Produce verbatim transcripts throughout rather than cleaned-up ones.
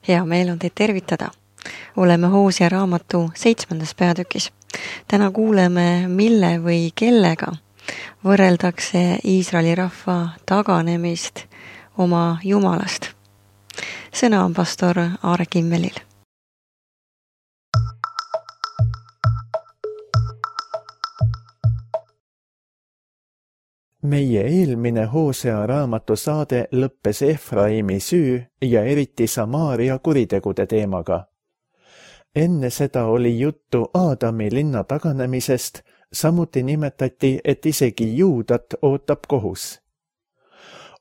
Hea meel on teid tervitada. Oleme Hoosea raamatu seitsmendas peatükis. Täna kuuleme, mille või kellega võrreldakse Iisraeli rahva taganemist oma Jumalast. Sõna on pastor Aare Kimmelil. Meie eelmine Hoosea raamatu saade lõppes Efraimi süü ja eriti Samaaria kuritegude teemaga. Enne seda oli juttu Aadami linna taganemisest, samuti nimetati, et isegi Juudat ootab kohus.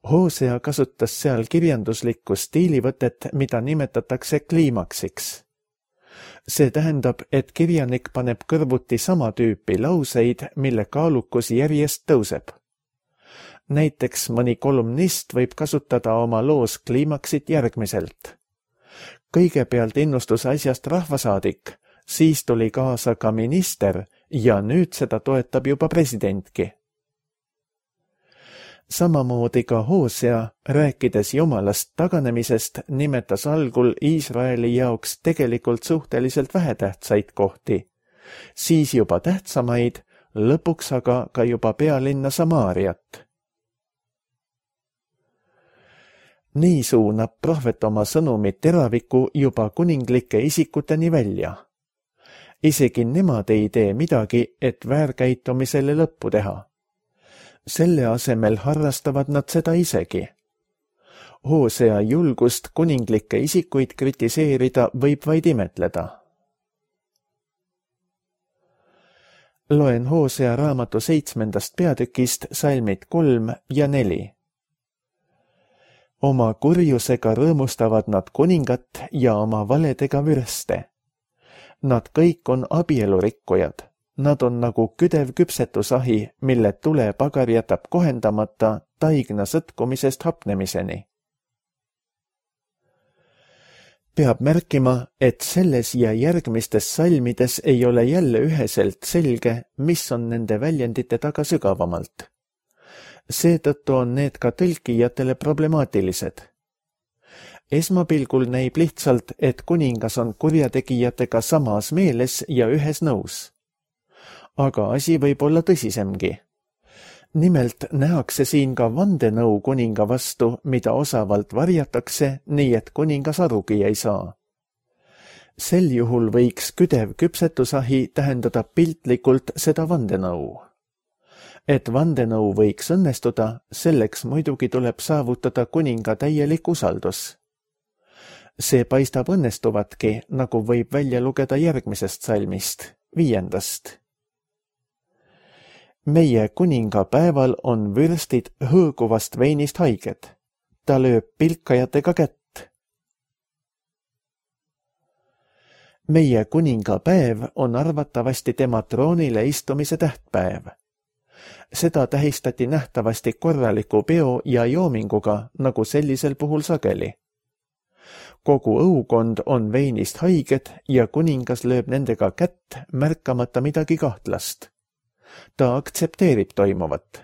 Hoosea kasutas seal kirjanduslikku stiilivõtet, mida nimetatakse kliimaksiks. See tähendab, et kirjanik paneb kõrvuti sama tüüpi lauseid, mille kaalukus järjest tõuseb. Näiteks mõni kolumnist võib kasutada oma loos kliimaksit järgmiselt. Kõigepealt innustus asjast rahvasaadik, siis tuli kaasa ka minister ja nüüd seda toetab juba presidentki. Samamoodi ka Hoosea, rääkides Jumalast taganemisest, nimetas algul Iisraeli jaoks tegelikult suhteliselt vähetähtsaid kohti, siis juba tähtsamaid, lõpuks aga ka juba pealinna Samaariat. Nii suunab prohvet oma sõnumi teraviku juba kuninglike isikuteni välja. Isegi nemad ei tee midagi, et väärkäitumisele lõppu teha. Selle asemel harrastavad nad seda isegi. Hoosea julgust kuninglikke isikuid kritiseerida võib vaid imetleda. Loen Hoosea raamatu seitsmendast peatükist salmid kolm ja neli. Oma kurjusega rõõmustavad nad kuningat ja oma valedega vürste. Nad kõik on abielurikkujad. Nad on nagu küdev küpsetusahi, mille tule pagar jätab kohendamata taigna sõtkumisest hapnemiseni. Peab märkima, et selles ja järgmistes salmides ei ole jälle üheselt selge, mis on nende väljendite taga sügavamalt. Seetõttu on need ka tõlkijatele problemaatilised. Esmapilgul näib lihtsalt, et kuningas on kurjategijatega samas meeles ja ühes nõus. Aga asi võib olla tõsisemgi. Nimelt nähakse siin ka vandenõu kuninga vastu, mida osavalt varjatakse, nii et kuningas arugi ei saa. Sel juhul võiks küdev küpsetusahi tähendada piltlikult seda vandenõu. Et vandenõu võiks õnnestuda, selleks muidugi tuleb saavutada kuninga täielik usaldus. See paistab õnnestuvatki, nagu võib välja lugeda järgmisest salmist, viiendast. Meie kuninga päeval on vürstid hõõguvast veinist haiged. Ta lööb pilkajatega kätt. Meie kuninga päev on arvatavasti tema troonile istumise tähtpäev. Seda tähistati nähtavasti korraliku peo ja joominguga, nagu sellisel puhul sageli. Kogu õukond on veinist haiged ja kuningas lööb nendega kätt, märkamata midagi kahtlast. Ta aktsepteerib toimuvat.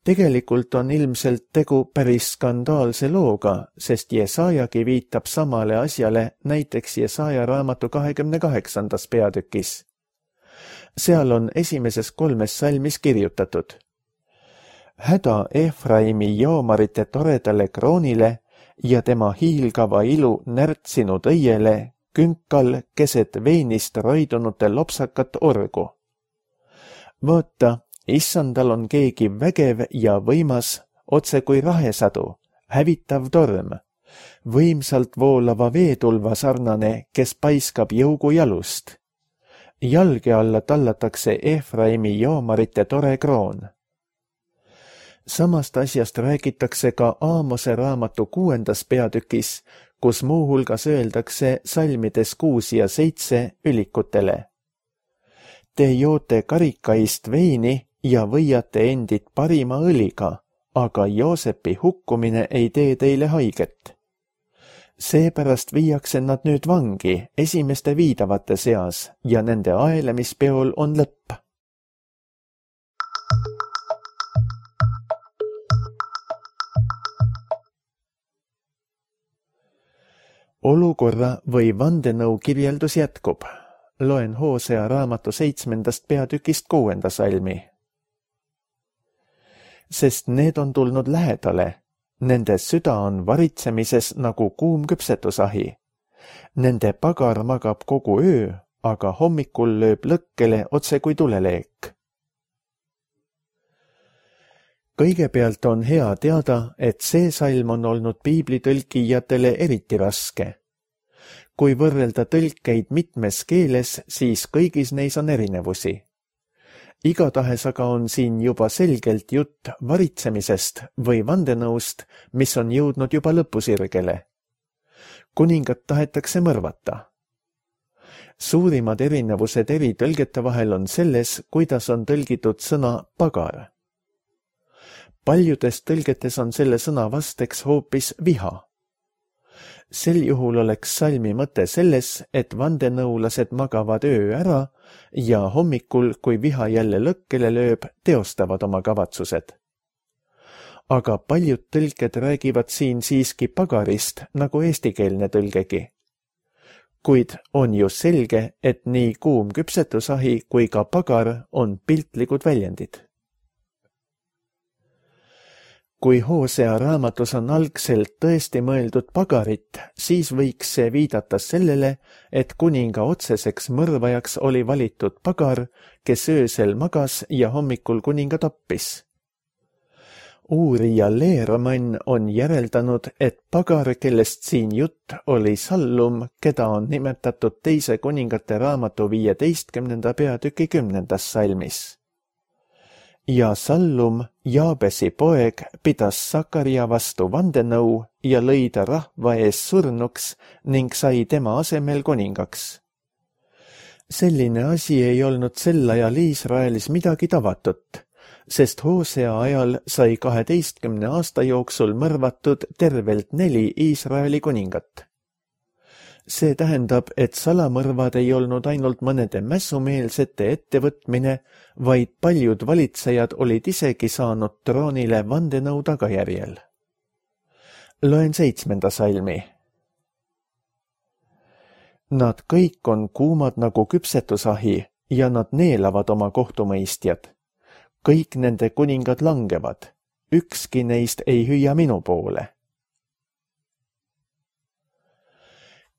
Tegelikult on ilmselt tegu päris skandaalse looga, sest Jesaajagi viitab samale asjale näiteks Jesaja raamatu kahekümne kaheksandas peatükis. Seal on esimeses kolmes salmis kirjutatud. Häda Efraimi joomarite toredale kroonile ja tema hiilgava ilu närtsinud õiele, künkal keset veinist roidunute lopsakat orgu. Vaata, issandal on keegi vägev ja võimas, otse kui rahesadu, hävitav torm, võimsalt voolava veetulva sarnane, kes paiskab jõugu jalust. Jalge alla tallatakse Efraimi joomarite tore kroon. Samast asjast räägitakse ka Aamose raamatu kuuendas peatükis, kus muuhulgas öeldakse salmides kuus ja seitse ülikutele. Te joote karikaist veini ja võiate endid parima õliga, aga Joosepi hukkumine ei tee teile haiget. Seepärast viiakse nad nüüd vangi esimeste viidavate seas ja nende aelemispeol on lõpp. olukorra või vandenõu kirjeldus jätkub. Loen Hoosea raamatu seitsmendast peatükist kuuenda salmi. Sest need on tulnud lähedale, nende süda on varitsemises nagu kuum küpsetusahi. Nende pagar magab kogu öö, aga hommikul lööb lõkkele otse kui tuleleek. Kõigepealt on hea teada, et see salm on olnud piiblitõlkijatele eriti raske. Kui võrrelda tõlkeid mitmes keeles, siis kõigis neis on erinevusi. Igatahes aga on siin juba selgelt jutt varitsemisest või vandenõust, mis on jõudnud juba lõpusirgele. Kuningat tahetakse mõrvata. Suurimad erinevused eri tõlgete vahel on selles, kuidas on tõlgitud sõna pagar. Paljudes tõlgetes on selle sõna vasteks hoopis viha. Sel juhul oleks salmi mõte selles, et vandenõulased magavad öö ära ja hommikul, kui viha jälle lõkkele lööb, teostavad oma kavatsused. Aga paljud tõlked räägivad siin siiski pagarist, nagu eestikeelne tõlgegi. Kuid on ju selge, et nii kuum küpsetusahi kui ka pagar on piltlikud väljendid. Kui Hoosea raamatus on algselt tõesti mõeldud pagarit, siis võiks see viidata sellele, et kuninga otseseks mõrvajaks oli valitud pagar, kes öösel magas ja hommikul kuninga tappis. Uurija Leermann on järeldanud, et pagar, kellest siin jutt, oli Sallum, keda on nimetatud teise kuningate raamatu viieteistkümnenda peatüki kümnendas salmis. Ja Sallum, Jaabesi poeg, pidas Sakaria vastu vandenõu ja lõi ta rahva ees surnuks ning sai tema asemel kuningaks. Selline asi ei olnud sel ajal Iisraelis midagi tavatut, sest Hoosea ajal sai kaheteistkümne aasta jooksul mõrvatud tervelt neli Iisraeli kuningat. See tähendab, et salamõrvad ei olnud ainult mõnede mässumeelsete ettevõtmine, vaid paljud valitsejad olid isegi saanud troonile vandenõu tagajärjel. Loen seitsmenda salmi. Nad kõik on kuumad nagu küpsetusahi ja nad neelavad oma kohtumõistjad. Kõik nende kuningad langevad. Ükski neist ei hüüa minu poole.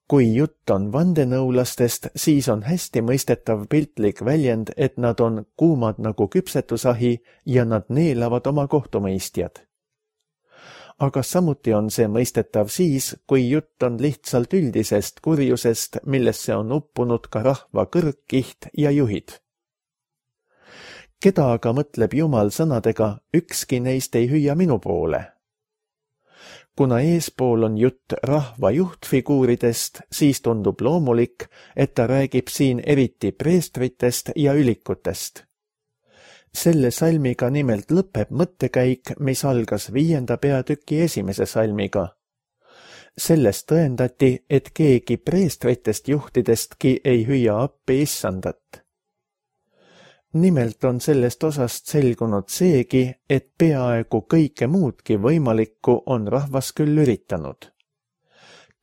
Kui jutt on vandenõulastest, siis on hästi mõistetav piltlik väljend, et nad on kuumad nagu küpsetusahi ja nad neelavad oma kohtumõistjad. Aga samuti on see mõistetav siis, kui jutt on lihtsalt üldisest kurjusest, millesse on uppunud ka rahva kõrgkiht ja juhid. Keda aga mõtleb Jumal sõnadega, ükski neist ei hüüa minu poole? Kuna eespool on jutt rahva juhtfiguuridest, siis tundub loomulik, et ta räägib siin eriti preestritest ja ülikutest. Selle salmiga nimelt lõpeb mõttekäik, mis algas viienda peatüki esimese salmiga. Sellest tõendati, et keegi preestritest juhtidestki ei hüüa appi issandat. Nimelt on sellest osast selgunud seegi, et peaaegu kõike muudki võimalikku on rahvas küll üritanud.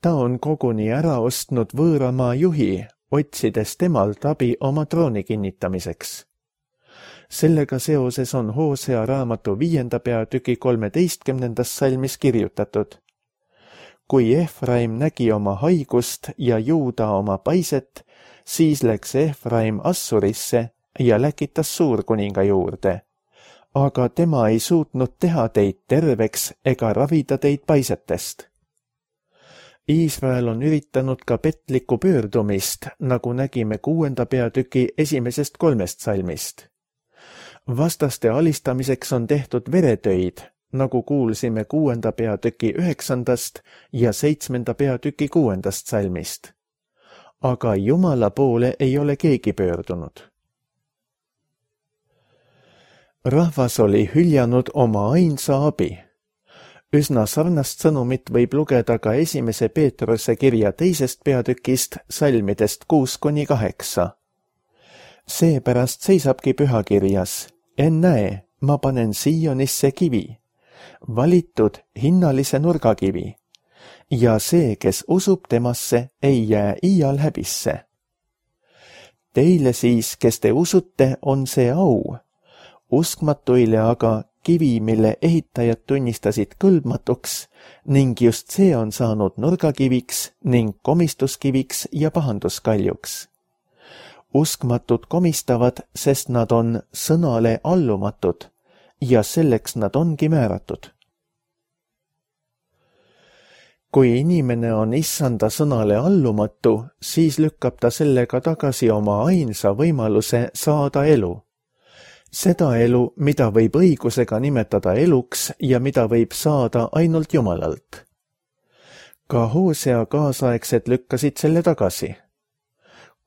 Ta on koguni ära ostnud võõramaa juhi, otsides temalt abi oma trooni kinnitamiseks. Sellega seoses on Hoosea raamatu viienda peatüki kolmeteistkümnendas salmis kirjutatud. Kui Efraim nägi oma haigust ja Juuda oma paiset, siis läks Efraim Assurisse ja läkitas suurkuninga juurde, aga tema ei suutnud teha teid terveks ega ravida teid paisetest. Iisrael on üritanud ka petlikku pöördumist, nagu nägime kuuenda peatüki esimesest kolmest salmist. Vastaste alistamiseks on tehtud veretöid, nagu kuulsime kuuenda peatüki üheksandast ja seitsmenda peatüki kuuendast salmist. Aga Jumala poole ei ole keegi pöördunud. Rahvas oli hüljanud oma ainsa abi. Üsna sarnast sõnumit võib lugeda ka esimese Peetruse kirja teisest peatükist salmidest kuus kuni kaheksa. Seepärast seisabki pühakirjas, ennäe, ma panen Siionisse kivi, valitud hinnalise nurgakivi, ja see, kes usub temasse, ei jää iial häbisse. Teile siis, kes te usute, on see au. Uskmatuile aga kivi, mille ehitajad tunnistasid kõlbmatuks, ning just see on saanud nurgakiviks ning komistuskiviks ja pahanduskaljuks. Uskmatud komistavad, sest nad on sõnale allumatud ja selleks nad ongi määratud. Kui inimene on issanda sõnale allumatu, siis lükkab ta sellega tagasi oma ainsa võimaluse saada elu. Seda elu, mida võib õigusega nimetada eluks ja mida võib saada ainult Jumalalt. Ka Hoosea kaasaegsed lükkasid selle tagasi.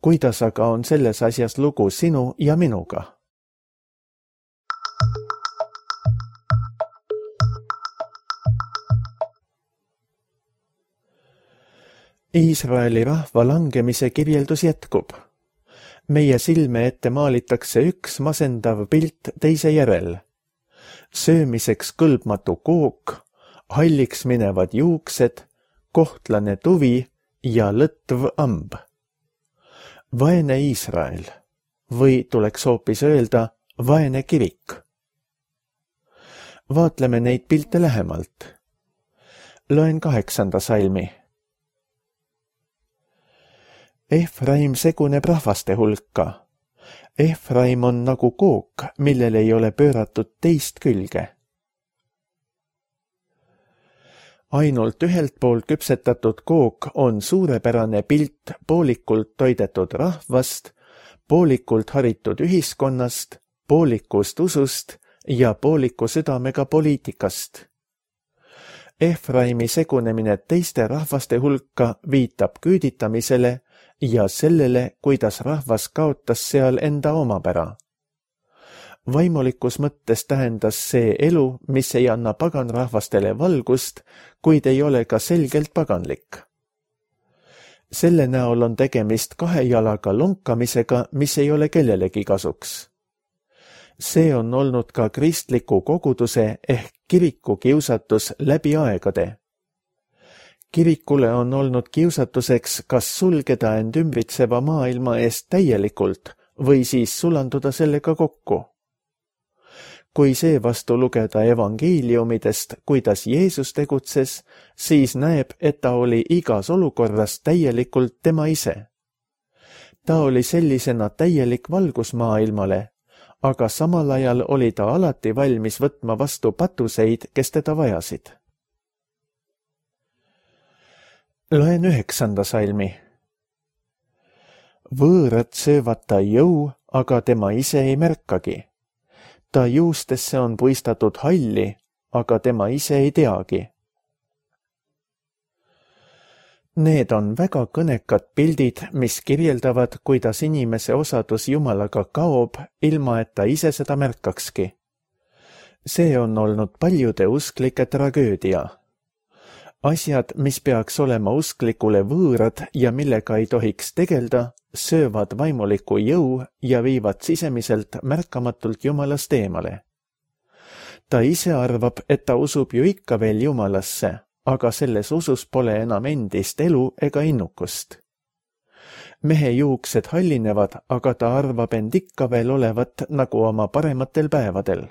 Kuidas aga on selles asjas lugu sinu ja minuga? Iisraeli rahva langemise kirjeldus jätkub. Meie silme ette maalitakse üks masendav pilt teise järel. Söömiseks kõlbmatu kook, halliks minevad juuksed, kohtlane tuvi ja lõtv amb. Vaene Iisrael, või tuleks hoopis öelda vaene kirik. Vaatleme neid pilte lähemalt. Loen kaheksanda salmi. Efraim seguneb rahvaste hulka. Efraim on nagu kook, millel ei ole pööratud teist külge. Ainult ühelt poolt küpsetatud kook on suurepärane pilt poolikult toidetud rahvast, poolikult haritud ühiskonnast, poolikust usust ja pooliku südamega poliitikast. Efraimi segunemine teiste rahvaste hulka viitab küüditamisele ja sellele, kuidas rahvas kaotas seal enda omapära. Vaimulikus mõttes tähendas see elu, mis ei anna paganrahvastele valgust, kuid ei ole ka selgelt paganlik. Selle näol on tegemist kahe jalaga lonkamisega, mis ei ole kellelegi kasuks. See on olnud ka kristliku koguduse ehk kiriku kiusatus läbi aegade. Kirikule on olnud kiusatuseks kas sulgeda end ümbritseva maailma eest täielikult või siis sulanduda sellega kokku. Kui seevastu lugeda evangeeliumidest, kuidas Jeesus tegutses, siis näeb, et ta oli igas olukorras täielikult tema ise. Ta oli sellisena täielik valgus maailmale, aga samal ajal oli ta alati valmis võtma vastu patuseid, kes teda vajasid. Loen üheksanda salmi. Võõrad söövad ta jõu, aga tema ise ei märkagi. Ta juustesse on puistatud halli, aga tema ise ei teagi. Need on väga kõnekad pildid, mis kirjeldavad, kuidas inimese osadus Jumalaga kaob, ilma et ta ise seda märkakski. See on olnud paljude usklike tragöödia. Asjad, mis peaks olema usklikule võõrad ja millega ei tohiks tegelda, söövad vaimuliku jõu ja viivad sisemiselt märkamatult Jumalast eemale. Ta ise arvab, et ta usub ju ikka veel Jumalasse, aga selles usus pole enam endist elu ega innukust. Mehe juuksed hallinevad, aga ta arvab end ikka veel olevat nagu oma parematel päevadel.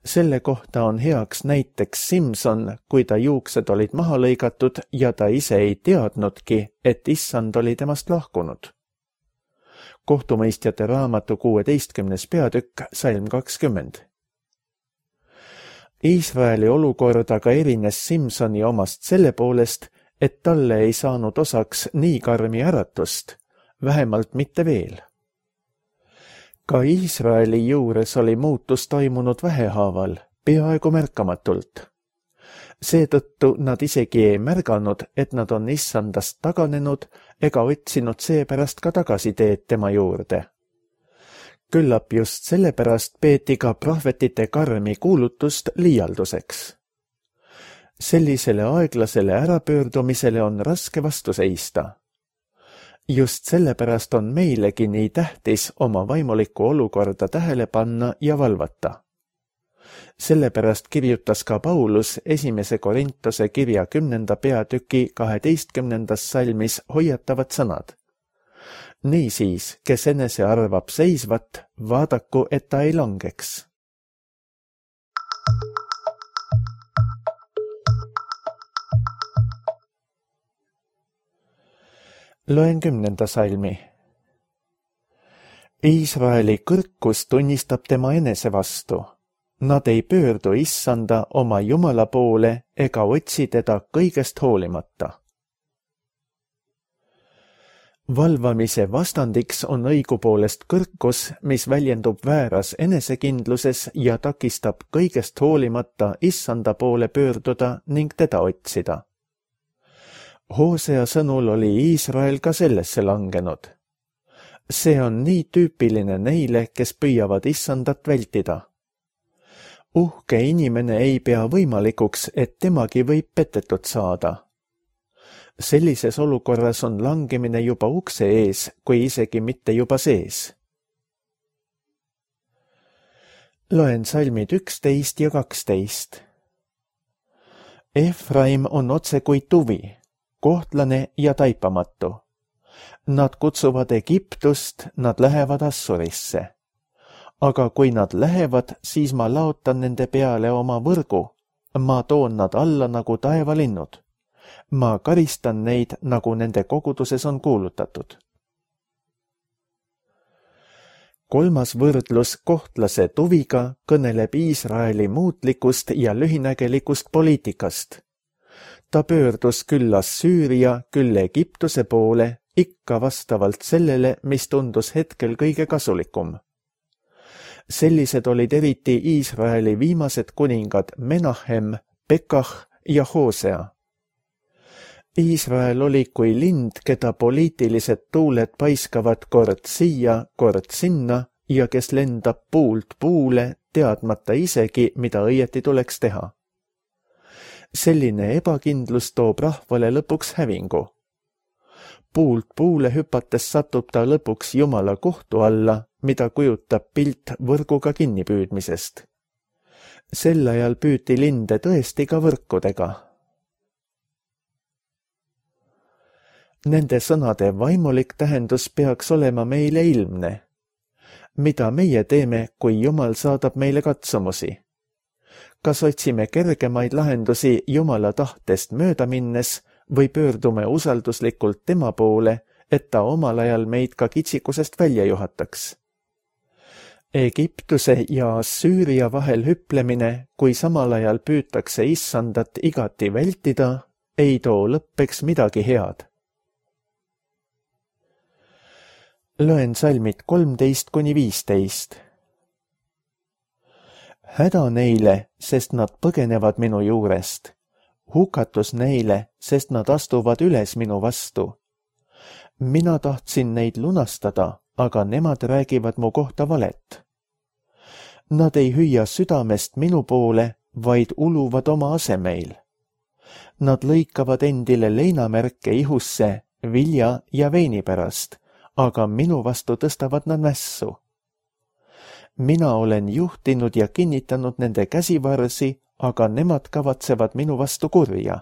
Selle kohta on heaks näiteks Simson, kui ta juuksed olid maha lõigatud ja ta ise ei teadnudki, et issand oli temast lahkunud. Kohtumõistjate raamatu kuueteistkümnes peatükk, salm kakskümmend. Iisraeli olukord aga erines Simsoni omast selle poolest, et talle ei saanud osaks nii karmi äratust, vähemalt mitte veel. Ka Iisraeli juures oli muutus toimunud vähehaaval, peaaegu märkamatult. Seetõttu nad isegi ei märganud, et nad on issandast taganenud ega otsinud seepärast ka tagasiteed tema juurde. Küllap just sellepärast peeti ka prohvetite karmi kuulutust liialduseks. Sellisele aeglasele ärapöördumisele on raske vastu seista. Just sellepärast on meilegi nii tähtis oma vaimulikku olukorda tähele panna ja valvata. Sellepärast kirjutas ka Paulus esimese Korintuse kirja kümnenda peatüki kaheteistkümnendas salmis hoiatavad sõnad. Niisiis, kes enese arvab seisvat, vaadaku, et ta ei langeks. Loen kümnenda salmi. Iisraeli kõrkus tunnistab tema enese vastu. Nad ei pöördu issanda oma Jumala poole ega otsi teda kõigest hoolimata. Valvamise vastandiks on õigupoolest kõrkus, mis väljendub vääras enesekindluses ja takistab kõigest hoolimata issanda poole pöörduda ning teda otsida. Hoosea sõnul oli Iisrael ka sellesse langenud. See on nii tüüpiline neile, kes püüavad issandat vältida. Uhke inimene ei pea võimalikuks, et temagi võib petetud saada. Sellises olukorras on langemine juba ukse ees, kui isegi mitte juba sees. Loen salmid üksteist ja kaksteist. Efraim on otse kui tuvi, kohtlane ja taipamatu. Nad kutsuvad Egiptust, nad lähevad Assurisse. Aga kui nad lähevad, siis ma laotan nende peale oma võrgu. Ma toon nad alla nagu taevalinnud. Ma karistan neid, nagu nende koguduses on kuulutatud. Kolmas võrdlus kohtlase tuviga kõneleb Iisraeli muutlikust ja lühinägelikust poliitikast. Ta pöördus küll Assüüria, küll Egiptuse poole, ikka vastavalt sellele, mis tundus hetkel kõige kasulikum. Sellised olid eriti Iisraeli viimased kuningad Menahem, Pekah ja Hoosea. Iisrael oli kui lind, keda poliitilised tuuled paiskavad kord siia, kord sinna ja kes lendab puult puule, teadmata isegi, mida õieti tuleks teha. Selline ebakindlus toob rahvale lõpuks hävingu. Puult puule hüpates satub ta lõpuks Jumala kohtu alla, mida kujutab pilt võrguga kinnipüüdmisest. Sel ajal püüti linde tõesti ka võrkudega. Nende sõnade vaimulik tähendus peaks olema meile ilmne. Mida meie teeme, kui Jumal saadab meile katsumusi? Kas otsime kergemaid lahendusi Jumala tahtest mööda minnes või pöördume usalduslikult tema poole, et ta omal ajal meid ka kitsikusest välja juhataks? Egiptuse ja Assüüria vahel hüplemine, kui samal ajal püütakse issandat igati vältida, ei too lõppeks midagi head. Loen salmid kolmteist kuni viisteist. Häda neile, sest nad põgenevad minu juurest. Hukatus neile, sest nad astuvad üles minu vastu. Mina tahtsin neid lunastada, aga nemad räägivad mu kohta valet. Nad ei hüüa südamest minu poole, vaid uluvad oma asemeil. Nad lõikavad endile leinamärke ihusse, vilja ja veini pärast, aga minu vastu tõstavad nad mässu. Mina olen juhtinud ja kinnitanud nende käsivarsi, aga nemad kavatsevad minu vastu kurja.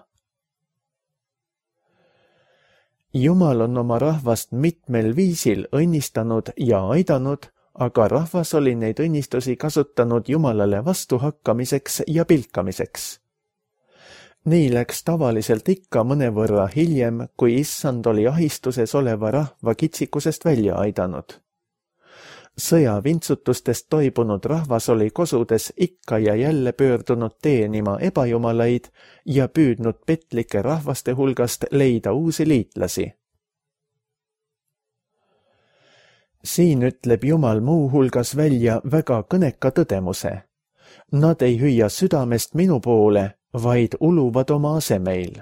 Jumal on oma rahvast mitmel viisil õnnistanud ja aidanud, aga rahvas oli neid õnnistusi kasutanud Jumalale vastuhakkamiseks ja pilkamiseks. Nii läks tavaliselt ikka mõnevõrra hiljem, kui issand oli ahistuses oleva rahva kitsikusest välja aidanud. Sõja vintsutustest toibunud rahvas oli kosudes ikka ja jälle pöördunud teenima ebajumalaid ja püüdnud petlike rahvaste hulgast leida uusi liitlasi. Siin ütleb Jumal muu hulgas välja väga kõneka tõdemuse. Nad ei hüüa südamest minu poole, vaid uluvad oma asemeil.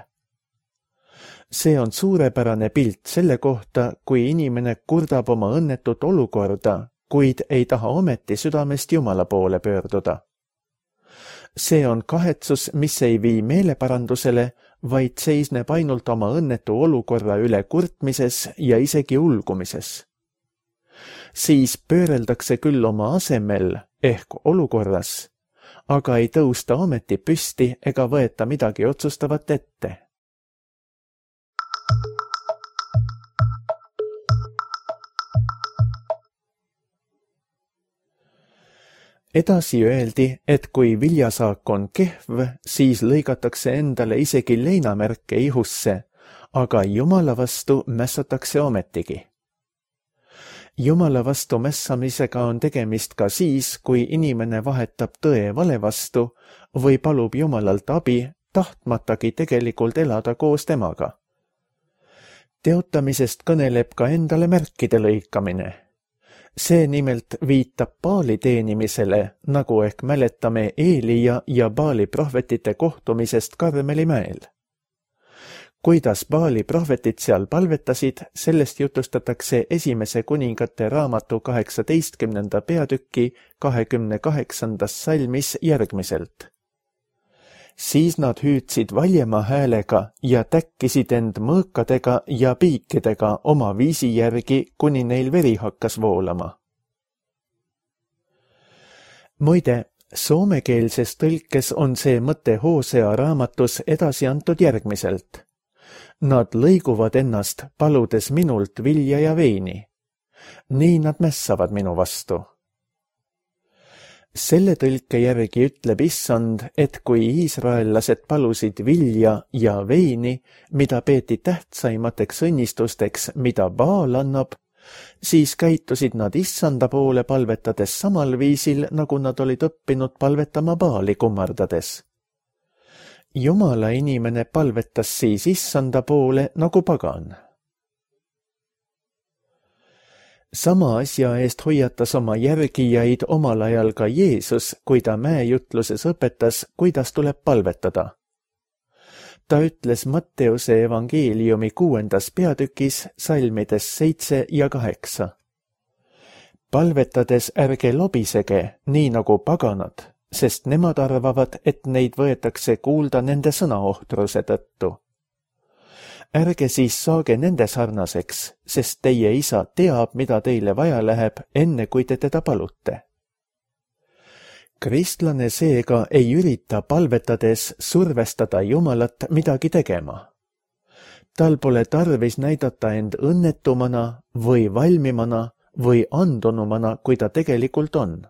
See on suurepärane pilt selle kohta, kui inimene kurdab oma õnnetut olukorda, kuid ei taha ometi südamest Jumala poole pöörduda. See on kahetsus, mis ei vii meeleparandusele, vaid seisneb ainult oma õnnetu olukorra üle kurtmises ja isegi ulgumises. Siis pööreldakse küll oma asemel ehk olukorras, aga ei tõusta ometi püsti ega võeta midagi otsustavat ette. Edasi öeldi, et kui viljasaak on kehv, siis lõigatakse endale isegi leinamärke ihusse, aga Jumala vastu mässatakse ometigi. Jumala vastu mässamisega on tegemist ka siis, kui inimene vahetab tõe vale vastu või palub Jumalalt abi, tahtmatagi tegelikult elada koos temaga. Teotamisest kõneleb ka endale märkide lõikamine. See nimelt viitab Baali teenimisele, nagu ehk mäletame Eelia ja Baali prohvetite kohtumisest Karmeli mäel. Kuidas Baali prohvetid seal palvetasid, sellest jutustatakse esimese kuningate raamatu kaheksateistkümnenda peatüki kahekümne kaheksandas salmis järgmiselt. Siis nad hüüdsid valjema häälega ja täkkisid end mõõkadega ja piikidega oma viisi järgi, kuni neil veri hakkas voolama. Muide, soomekeelses tõlkes on see mõte Hosea raamatus edasi antud järgmiselt. Nad lõiguvad ennast, paludes minult vilja ja veini. Nii nad mässavad minu vastu. Selle tõlke järgi ütleb Issand, et kui iisraellased palusid vilja ja veini, mida peeti tähtsaimateks õnnistusteks, mida Baal annab, siis käitusid nad Issanda poole palvetades samal viisil, nagu nad olid õppinud palvetama Baali kummardades. Jumala inimene palvetas siis Issanda poole nagu pagan. Sama asja eest hoiatas oma järgijaid omal ajal ka Jeesus, kui ta mäejutluses õpetas, kuidas tuleb palvetada. Ta ütles Matteuse evangeeliumi kuuendas peatükis salmides seitse ja kaheksa. Palvetades ärge lobisege, nii nagu paganad, sest nemad arvavad, et neid võetakse kuulda nende sõnaohtruse tõttu. Ärge siis saage nende sarnaseks, sest teie isa teab, mida teile vaja läheb, enne kui te teda palute. Kristlane seega ei ürita palvetades survestada Jumalat midagi tegema. Tal pole tarvis näidata end õnnetumana või valmimana või andunumana, kui ta tegelikult on.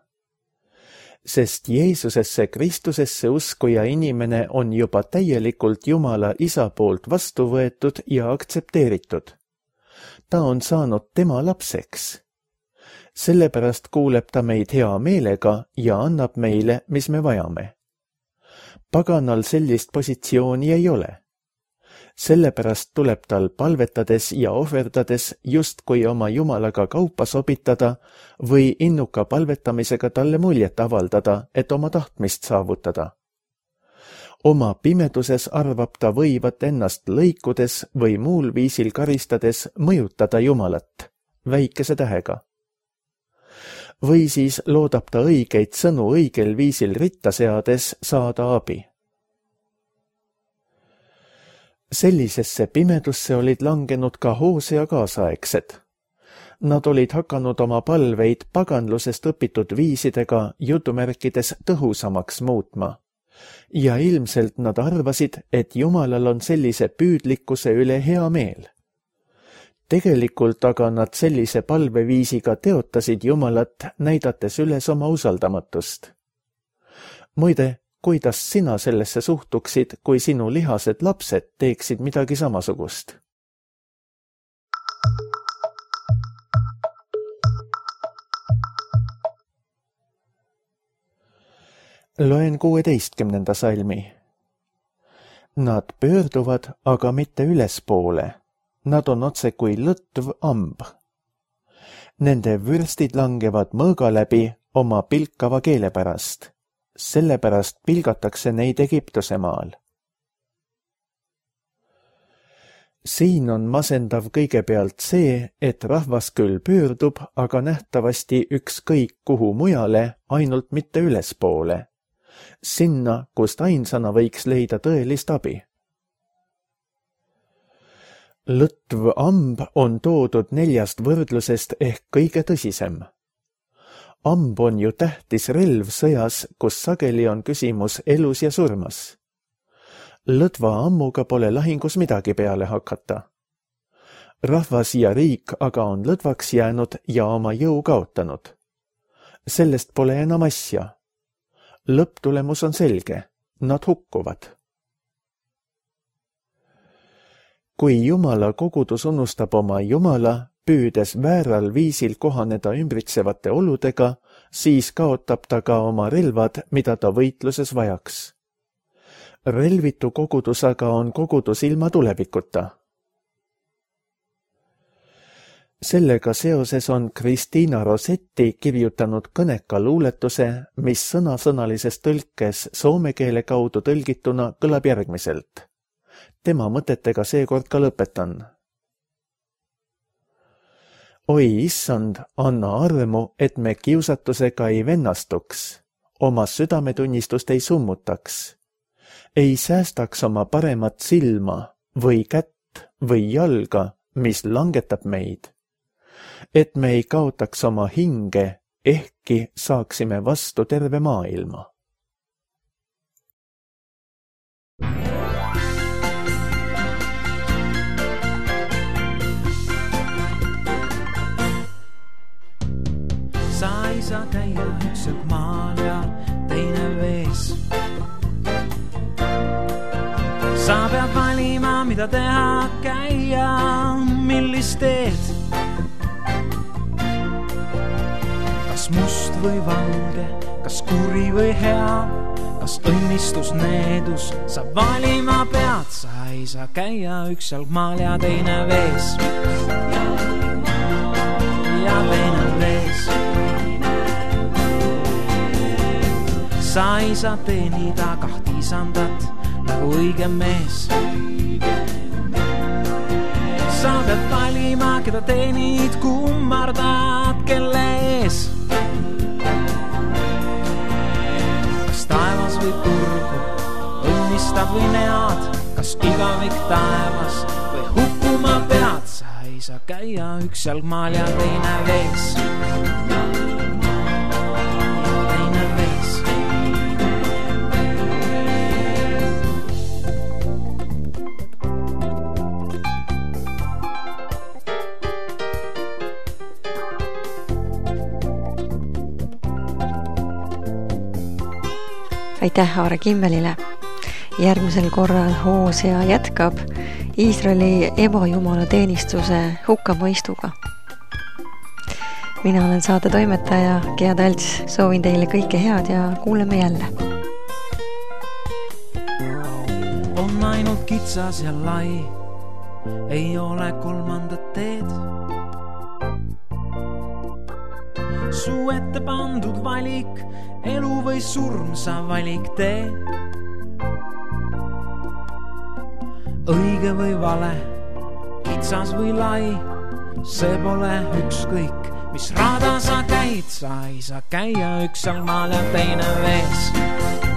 Sest Jeesusesse Kristusesse uskuja inimene on juba täielikult Jumala isa poolt vastu võetud ja aktsepteeritud. Ta on saanud tema lapseks. Sellepärast kuuleb ta meid hea meelega ja annab meile, mis me vajame. Paganal sellist positsiooni ei ole. Sellepärast tuleb tal palvetades ja ohverdades justkui oma Jumalaga kaupa sobitada või innuka palvetamisega talle muljet avaldada, et oma tahtmist saavutada. Oma pimeduses arvab ta võivat ennast lõikudes või muul viisil karistades mõjutada Jumalat, väikese tähega. Või siis loodab ta õigeid sõnu õigel viisil ritta seades saada abi. Sellisesse pimedusse olid langenud ka Hosea kaasaegsed. Nad olid hakanud oma palveid paganlusest õpitud viisidega jutumärkides tõhusamaks muutma. Ja ilmselt nad arvasid, et Jumalal on sellise püüdlikkuse üle hea meel. Tegelikult aga nad sellise palveviisiga teotasid Jumalat, näidates üles oma usaldamatust. Muide, kuidas sina sellesse suhtuksid, kui sinu lihased lapsed teeksid midagi samasugust? Loen kuueteistkümnenda salmi. Nad pöörduvad, aga mitte ülespoole. Nad on otse kui lõtv amb. Nende vürstid langevad mõõga läbi oma pilkava keele pärast. Sellepärast pilgatakse neid Egiptuse maal. Siin on masendav kõigepealt see, et rahvas küll pöördub, aga nähtavasti ükskõik kuhu mujale, ainult mitte ülespoole. Sinna, kust ainsana võiks leida tõelist abi. Lõtv amb on toodud neljast võrdlusest ehk kõige tõsisem. Amb on ju tähtis relv sõjas, kus sageli on küsimus elus ja surmas. Lõdva ammuga pole lahingus midagi peale hakata. Rahvas ja riik aga on lõdvaks jäänud ja oma jõu kaotanud. Sellest pole enam asja. Lõpptulemus on selge. Nad hukkuvad. Kui Jumala kogudus unustab oma Jumala, püüdes vääral viisil kohaneda ümbritsevate oludega, siis kaotab ta ka oma relvad, mida ta võitluses vajaks. Relvitu kogudus aga on kogudus ilma tulevikuta. Sellega seoses on Kristiina Rossetti kirjutanud kõneka luuletuse, mis sõnasõnalises tõlkes soome keele kaudu tõlgituna kõlab järgmiselt. Tema mõtetega seekord ka lõpetan. Oi issand, anna armu, et me kiusatusega ei vennastuks, oma südametunnistust ei summutaks, ei säästaks oma paremat silma või kätt või jalga, mis langetab meid, et me ei kaotaks oma hinge, ehkki saaksime vastu terve maailma. Sa ei saa käia üks õk maal ja teine vees. Sa pead valima, mida teha, käia, millist teed. Kas must või valge, kas kuri või hea, kas õnnistus, needus, sa valima pead. Sa ei saa käia üks jalg maal ja teine vees. Ja teine vees. Sa ei saa teenida kahti isandat nagu õige mees. Sa pead valima, keda teenid, kummardad, kelle ees. Kas taevas või turgu, õnnistab või nead, kas igavik taevas või hukkuma pead. Sa ei saa käia üks jalg maal ja teine vees. Aitäh Aare Kimmelile. Järgmisel korral Hoosea jätkab Iisraeli ebajumala teenistuse hukkamõistuga. Mina olen saate toimetaja Gea Talts, soovin teile kõike head ja kuuleme jälle. On ainult kitsas ja lai, ei ole kolmandat teed. Su ette pandud valik, elu või surm, sa valik tee. Õige või vale, kitsas või lai, see pole ükskõik, mis rada sa käid. Sa ei saa käia üks jalg maal ja teine vees.